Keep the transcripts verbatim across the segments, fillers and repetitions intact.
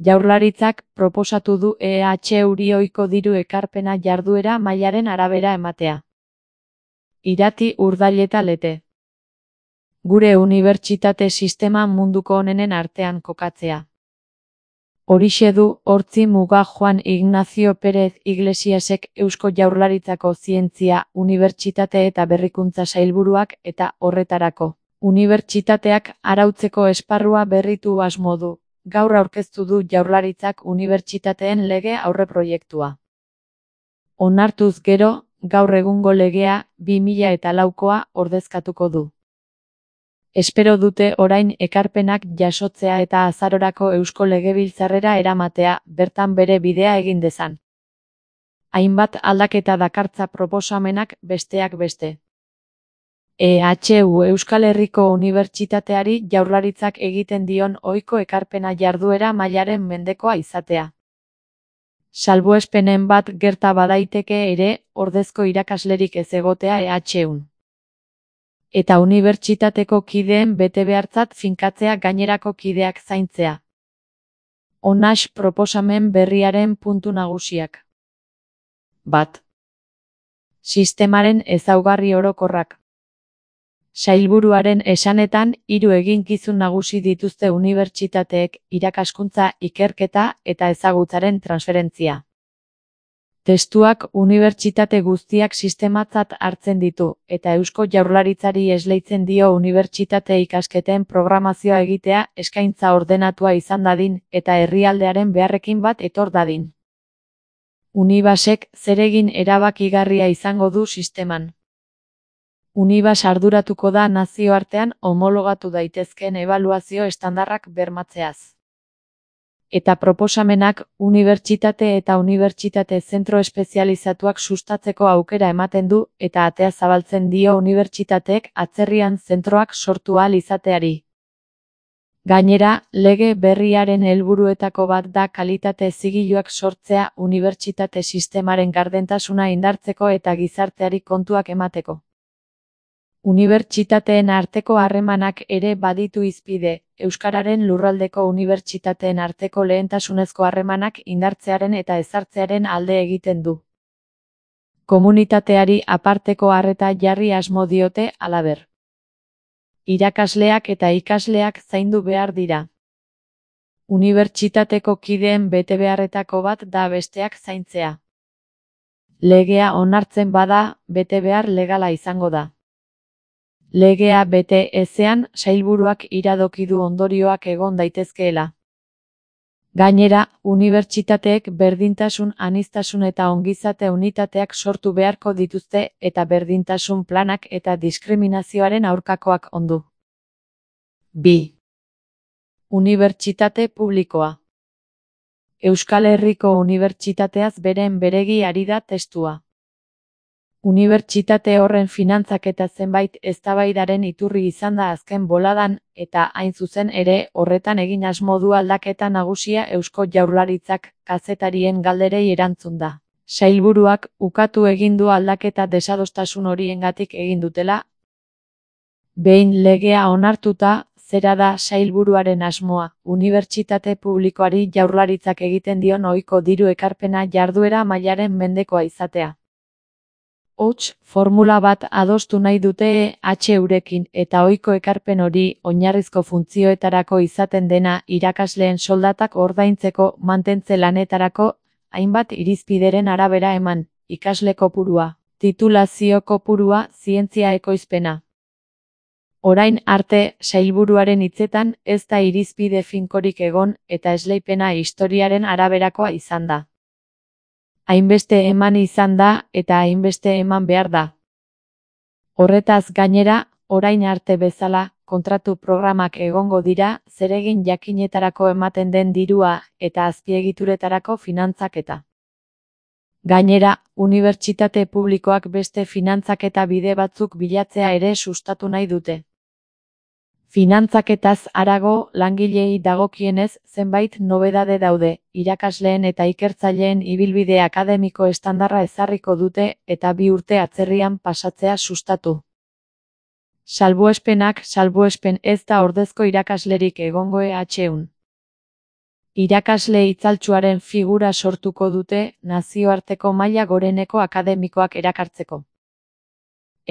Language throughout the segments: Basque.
Jaurlaritzak proposatu du E H euri ohiko diru ekarpena jarduera mailaren arabera ematea. Irati Urdaileta Lete. Gure unibertsitate sistema munduko onenen artean kokatzea. Horixe du hortzi muga Juan Ignacio Pérez Iglesiasek Eusko Jaurlaritzako Zientzia, Unibertsitate eta Berrikuntza Sailburuak eta horretarako. Unibertsitateak arautzeko esparrua berritu asmo du. Gaur aurkeztu du Jaurlaritzak unibertsitateen lege aurreproiektua. Onartuz gero, gaur egungo legea, bi mila eta laukoa ordezkatuko du. Espero dute orain ekarpenak jasotzea eta azarorako Eusko Legebiltzarrera eramatea, bertan bere bidea egin dezan. Hainbat aldaketa dakartza proposamenak besteak beste. E H U Euskal Herriko Unibertsitateari Jaurlaritzak egiten dion ohiko ekarpena jarduera mailaren mendekoa izatea. Salbuespenen bat gerta badaiteke ere, ordezko irakaslerik ez egotea E H Un. Eta unibertsitateko kideen betebehartzat finkatzea gainerako kideak zaintzea. Honax proposamen berriaren puntu nagusiak. Bat. Sistemaren ezaugarri orokorrak. Sailburuaren esanetan, hiru eginkizun nagusi dituzte unibertsitateek, irakaskuntza, ikerketa eta ezagutzaren transferentzia. Testuak unibertsitate guztiak sistematzat hartzen ditu, eta Eusko Jaurlaritzari esleitzen dio unibertsitate ikasketen programazioa egitea eskaintza ordenatua izan dadin eta herrialdearen beharrekin bat etor dadin. Unibasek zeregin erabakigarria izango du sisteman. Unibas arduratuko da nazioartean homologatu daitezkeen ebaluazio estandarrak bermatzeaz. Eta proposamenak unibertsitate eta unibertsitate zentro espezializatuak sustatzeko aukera ematen du eta atea zabaltzen dio unibertsitateek atzerrian zentroak sortu ahal izateari. Gainera, lege berriaren helburuetako bat da kalitate zigiluak sortzea unibertsitate sistemaren gardentasuna indartzeko eta gizarteari kontuak emateko. Unibertsitateen arteko harremanak ere baditu hizpide, Euskararen lurraldeko unibertsitateen arteko lehentasunezko harremanak indartzearen eta ezartzearen alde egiten du. Komunitateari aparteko arreta jarri asmo diote halaber. Irakasleak eta ikasleak zaindu behar dira. Unibertsitateko kideen betebeharretako bat da besteak zaintzea. Legea onartzen bada, betebehar legala izango da. Legea bete ezean, sailburuak iradoki du ondorioak egon daitezkeela. Gainera, unibertsitateek berdintasun, aniztasun eta ongizate unitateak sortu beharko dituzte eta berdintasun planak eta diskriminazioaren aurkakoak ondu. bi. Unibertsitate publikoa. Euskal Herriko Unibertsitateaz beren beregi ari da testua. Unibertsitate horren finantzaketa zenbait eztabaidaren iturri izan da azken boladan, eta hain zuzen ere horretan egin asmo du aldaketa nagusia Eusko Jaurlaritzak kazetarien galderei erantzun da. Sailburuak ukatu egin du aldaketa desadostasun horiengatik egin dutela. Behin legea onartuta, zera da sailburuaren asmoa, unibertsitate publikoari Jaurlaritzak egiten dion ohiko diru ekarpena jarduera mailaren mendekoa izatea. Hots, formula bat adostu nahi dute E H Eurekin eta ohiko ekarpen hori oinarrizko funtzioetarako izaten dena irakasleen soldatak ordaintzeko mantentze lanetarako hainbat irizpideren arabera eman, ikasle kopurua, titulazio kopurua, zientzia ekoizpena. Orain arte, sailburuaren hitzetan ez da irizpide finkorik egon eta esleipena historiaren araberakoa izan da. Hainbeste eman izan da eta hainbeste eman behar da. Horretaz gainera, orain arte bezala, kontratu programak egongo dira, zeregin jakinetarako ematen den dirua eta azpiegituretarako finantzaketa. Gainera, unibertsitate publikoak beste finantzaketa bide batzuk bilatzea ere sustatu nahi dute. Finantzaketaz harago, langileei dagokienez zenbait nobedade daude, irakasleen eta ikertzaileen ibilbide akademiko estandarra ezarriko dute eta bi urte atzerrian pasatzea sustatu. Salbuespenak salbuespen ez da ordezko irakaslerik egongo E H Un. Irakasle itzaltsuaren figura sortuko dute nazioarteko maila goreneko akademikoak erakartzeko.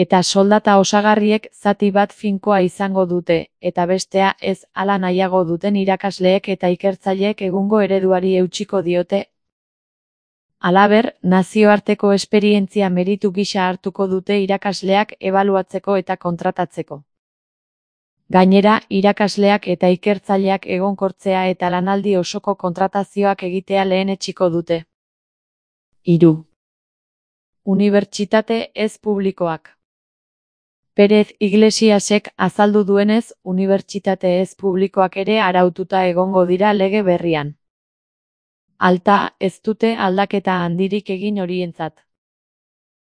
Eta soldata osagarriek zati bat finkoa izango dute, eta bestea ez hala nahiago duten irakasleek eta ikertzaileek egungo ereduari eutsiko diote. Halaber, nazioarteko esperientzia meritu gisa hartuko dute irakasleak ebaluatzeko eta kontratatzeko. Gainera, irakasleak eta ikertzaileak egonkortzea eta lanaldi osoko kontratazioak egitea lehenetsiko dute. Hiru. Unibertsitate ez publikoak. Pérez Iglesiasek azaldu duenez, unibertsitate ez publikoak ere araututa egongo dira lege berrian. Alta, ez dute aldaketa handirik egin horientzat.